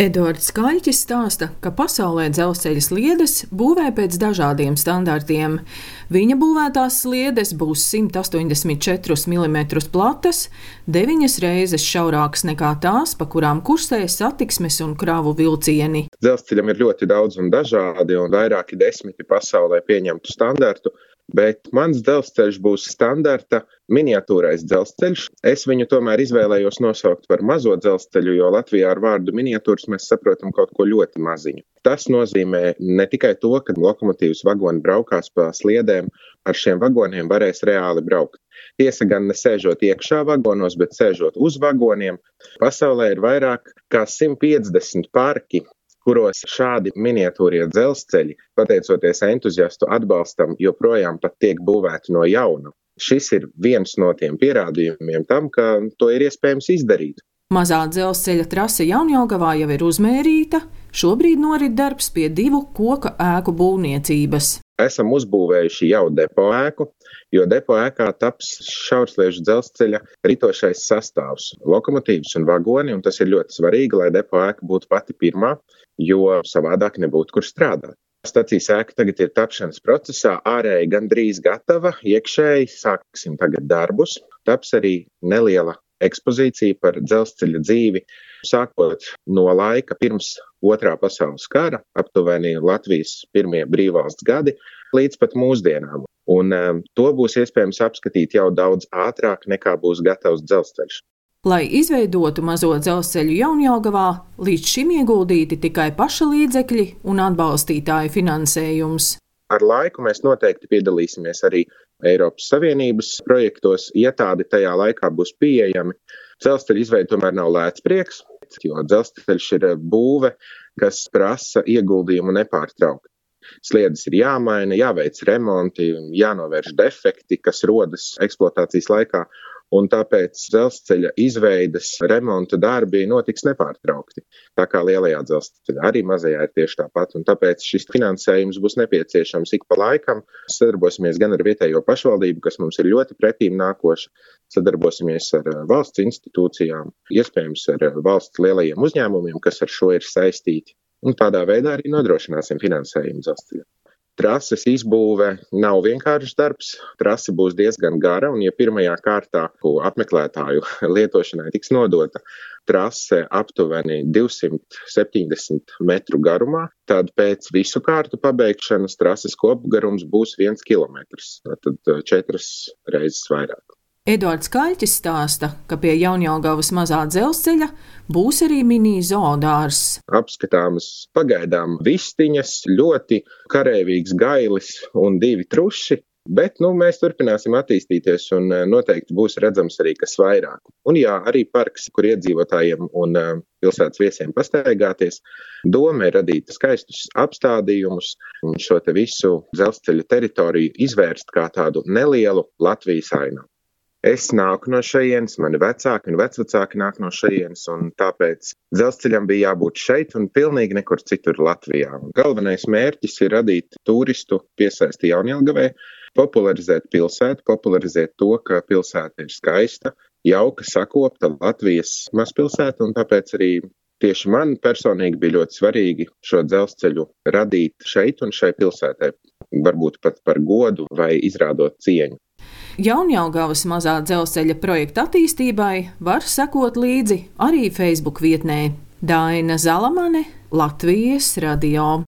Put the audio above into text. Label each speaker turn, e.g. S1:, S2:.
S1: Eduards Skaļķis stāsta, ka pasaulē dzelzceļa sliedes būvē pēc dažādiem standartiem. Viņa būvētās sliedes būs 184 mm platas, 9 reizes šaurākas nekā tās, pa kurām kursē satiksmes un kravu vilcieni.
S2: Dzelzceļam ir ļoti daudz un dažādi un vairāki desmiti pasaulē pieņemtu standartu, bet mans dzelzceļš būs standarta miniatūrais dzelzceļš. Es viņu tomēr izvēlējos nosaukt par mazo dzelzceļu, jo Latvijā ar vārdu miniatūras mēs saprotam kaut ko ļoti maziņu. Tas nozīmē ne tikai to, ka lokomotīvas vagoni braukās pa sliedēm, ar šiem vagoniem varēs reāli braukt. Tiesa gan ne sēžot iekšā vagonos, bet sēžot uz vagoniem. Pasaulē ir vairāk kā 150 parki, kuros šādi miniatūrie dzelzceļi, pateicoties entuziastu atbalstam, joprojām pat tiek būvēti no jauna. Šis ir viens no tiem pierādījumiem tam, ka to ir iespējams izdarīt.
S1: Mazā dzelzceļa trase Jaunjelgavā jau ir uzmērīta, šobrīd norit darbs pie 2 koka ēku būvniecības.
S2: Esam uzbūvējuši jau depo ēku, jo depo ēkā taps šaursliežu dzelzceļa ritošais sastāvs, lokomotīvas un vagoni, un tas ir ļoti svarīgi, lai depo ēka būtu pati pirmā, jo savādāk nebūtu kur strādāt. Stacijas ēka tagad ir tapšanas procesā, ārēji gandrīz gatava, iekšēji sāksim tagad darbus. Taps arī neliela ekspozīcija par dzelzceļa dzīvi, sākot no laika pirms Otrā pasaules kara, aptuveni Latvijas pirmie brīvvalsts gadi, līdz pat mūsdienām. Un to būs iespējams apskatīt jau daudz ātrāk, nekā būs gatavs dzelzceļš.
S1: Lai izveidotu mazo dzelzceļu Jaunjelgavā, līdz šim ieguldīti tikai paša līdzekļi un atbalstītāju finansējums.
S2: Ar laiku mēs noteikti piedalīsimies arī Eiropas Savienības projektos, ja tādi tajā laikā būs pieejami. Dzelzceļa izveide tomēr nav lēts prieks, jo dzelzceļš ir būve, kas prasa ieguldījumu nepārtraukti. Sliedes ir jāmaina, jāveic remonti, jānovērš defekti, kas rodas eksploatācijas laikā, un tāpēc dzelzceļa izveides remonta darbi notiks nepārtraukti. Tā kā lielajā dzelzceļā, arī mazajā ir tieši tāpat, un tāpēc šis finansējums būs nepieciešams ik pa laikam. Sadarbosimies gan ar vietējo pašvaldību, kas mums ir ļoti pretīm nākoša, sadarbosimies ar valsts institūcijām, iespējams ar valsts lielajiem uzņēmumiem, kas ar šo ir saistīti, un tādā veidā arī nodrošināsim finansējumu dzelzceļam. Trases izbūve nav vienkāršs darbs, trase būs diezgan gara, un ja pirmajā kārtā apmeklētāju lietošanai tiks nodota trase aptuveni 270 metru garumā, tad pēc visu kārtu pabeigšanas trases kopgarums būs 1 kilometrs, tad 4 reizes vairāk.
S1: Eduards Skaļķis stāsta, ka pie Jaunjelgavas mazā dzelzceļa būs arī mini zoodārzs.
S2: Apskatāmas pagaidām vistiņas, ļoti kareivīgs gailis un 2 truši, bet mēs turpināsim attīstīties un noteikti būs redzams arī kas vairāk. Un jā, arī parks, kur iedzīvotājiem un pilsētas viesiem pastaigāties. Doma ir radīt skaistus apstādījumus un šo te visu dzelzceļa teritoriju izvērst kā tādu nelielu Latvijas ainavu. Es nāku no šejienes, mani vecāki un vecvecāki nāk no šejienes, un tāpēc dzelzceļam bija jābūt šeit un pilnīgi nekur citur Latvijā. Galvenais mērķis ir radīt turistu piesaisti Jaunjelgavai, popularizēt pilsētu, popularizēt to, ka pilsēta ir skaista, jauka, sakopta Latvijas mazpilsēta, un tāpēc arī tieši man personīgi bija ļoti svarīgi šo dzelzceļu radīt šeit un šai pilsētai, varbūt pat par godu vai izrādot cieņu.
S1: Jaunjelgavas mazā dzelzceļa projekta attīstībai var sekot līdzi arī Facebook vietnē. Daina Zalamane, Latvijas radio.